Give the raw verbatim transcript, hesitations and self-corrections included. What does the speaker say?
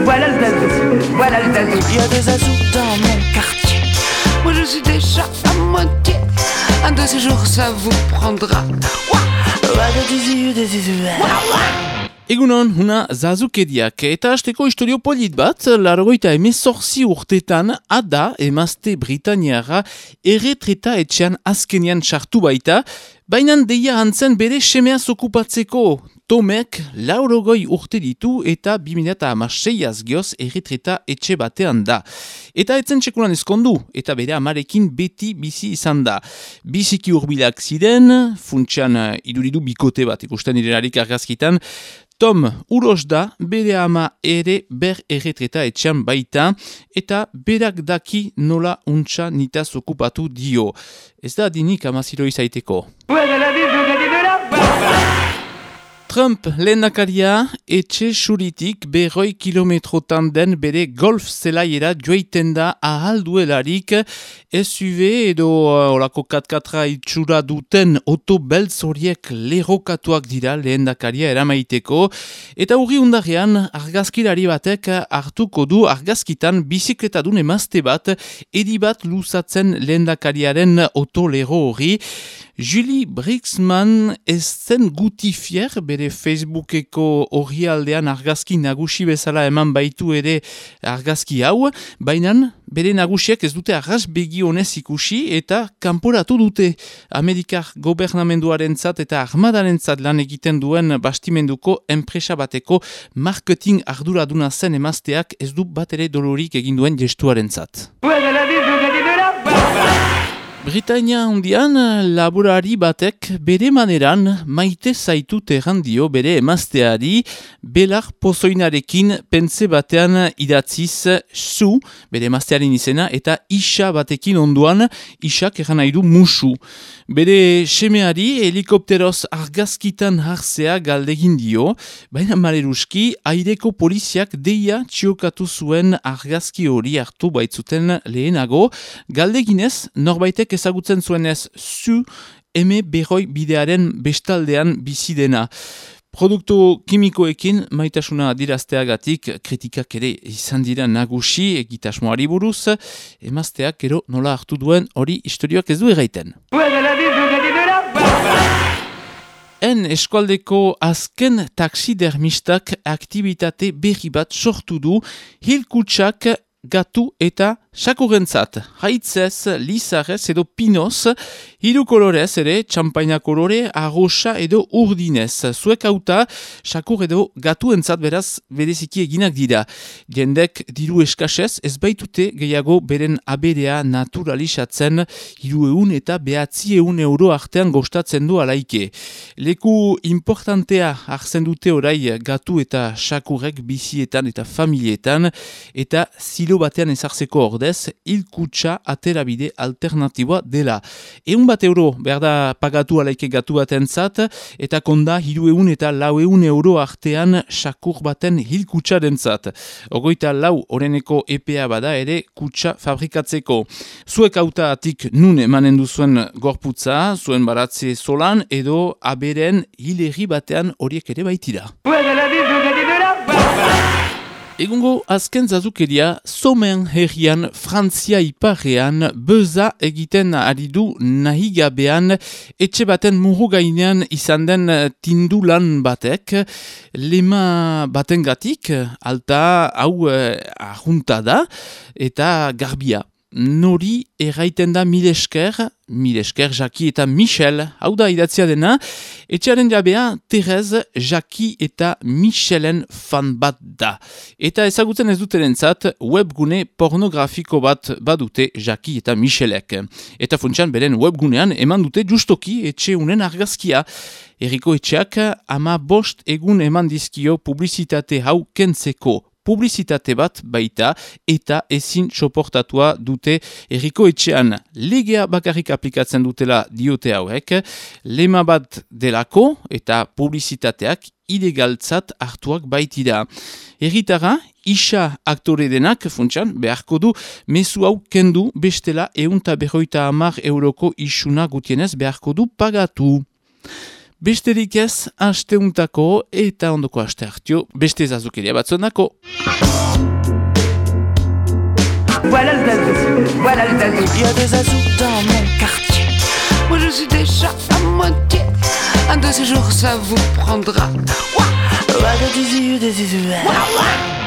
Voilà le zazou, voilà le zazou. Il y a des zazous dans mon quartier. Moi je suis déjà à moitié. Un de ces jours ça vous prendra. Egunon, huna zazukediak, eta hasteko istorio polit bat, largoita emezorzi urtetan, ada emazte Britaniara erretreta etxean azkenian sartu baita, bainan deia hantzen bere semeaz okupatzeko. Tomek laurogoi urte ditu eta bi mila hamaseiaz gioz erretreta etxe batean da. Eta etzen txekulan ezkondu, eta bere amarekin beti bizi izan da. Biziki urbilak ziren, funtsean iduridu bikote bat ikusten direlarik argazkitan, Tom uros da, bere ama ere ber erretreta etxean baita, eta berak daki nola untxa nitaz okupatu dio. Ez da dinik amaziro izaiteko. Trump lehendakaria etxe suritik berroi kilometrotan den bere golf zelaiera joiten da ahal duelarik S U V edo olako katkatra itxura duten oto beltz horiek lerrokatuak dira lehendakaria eramaiteko eta urri undarrean argazkilari batek hartuko du argazkitan bizikletadun emazte bat edi bat luzatzen lehendakariaren oto lerro hori. Julie Brixman ez zen guti fier bere Facebookeko orrialdean argazki nagusi bezala eman baitu ere argazki hau, baina bere nagusiak ez dute arras begi honez ikusi eta kanporatu dute. Amerikar gobernamenduarentzat eta armadarentzat lan egiten duen bastimenduko enpresa bateko marketing arduraduna zen emazteak ez du bat ere dolorik egin duen gestuarentzat. Britania hundian, laborari batek bere maneran maite zaitut errandio bere emazteari belar pozoinarekin pentze batean idatziz zu, bere emaztearen izena, eta isa batekin onduan, isak erran nahi du musu. Bere semeari helikopteroz argazkitan hartzea galdegin dio, baina maleruski aireko poliziak deia txiokatu zuen argazki hori hartu baitzuten lehenago, galdeginez norbaitek ezagutzen zuenez zu eme berroi bidearen bestaldean bizidena. Produktu kimikoekin maitasuna adirazteagatik kritikak ere izan dira nagusi egitasmoari buruz, emazteak ero nola hartu duen hori istorioak ez du erraiten. En eskualdeko azken taxidermistak aktibitate berri bat sortu du hilkutsak gatu eta sakurrentzat. Haitzez, lizarrez edo pinoz, hiru kolorez ere, txampaina kolore, arrosa edo urdinez. Zuek hauta, sakur edo gatuentzat beraz bereziki eginak dira. Jendek diru eskasez, ez baitute gehiago beren aberea naturalizatzen hiru eun eta behatzi eun euro artean gostatzen du alaike. Leku importantea hartzen dute orai gatu eta sakurrek bizietan eta familietan, eta zilo batean ezartzeko ordez, hilkutsa aterabide alternatiboa dela. Eun bat euro behar da pagatu alaike gatu batentzat, eta konda hiru eun eta lau eun euro artean sakur baten hilkutsarentzat. Ogoita lau oreneko epea bada ere kutsa fabrikatzeko. Zuek hautatik nun emanen duzuen gorputza, zuen baratze solan edo aberen hilerri batean horiek ere baitira. Egungo azken zazukeria, Somen herrian, Frantzia iparrean, beza egiten ari du nahi gabean, etxe baten muru gainean izan den tindulan batek, lema batengatik, alta hau eh, ahunta da, eta garbia. Nori erraiten da mil esker, mil esker Jaki eta Michel, hau da idatzia dena, etxearen jabea Terez, Jaki eta Michelen fan bat da. Eta ezagutzen ez duterentzat webgune pornografiko bat badute Jaki eta Michelek. Eta funtsan beren webgunean eman dute justoki etxe unen argazkia. Herriko etxeak ama bost egun eman dizkio publizitate hau kentzeko. Publizitate bat baita eta ezin soportatua dute herriko etxean. Legea bakarrik aplikatzen dutela diote hauek, lema bat delako eta publizitateak ilegaltzat hartuak baitira. Herritara, isa aktore denak, funtsan, beharko du, mezu hau kendu bestela eunta berroita hamar euroko isuna gutienez beharko du pagatu. Besterik ez, asteuntako eta ondoko aste hartio, beste zazukeria batzonako. Voilà le zazou, voilà le zazou. Il y a des azous dans mon quartier. Moi je suis déjà à moitié. Un de ces jours ça vous prendra. Ouah, ouah, des yeux, des yeux. Ouah, ouah.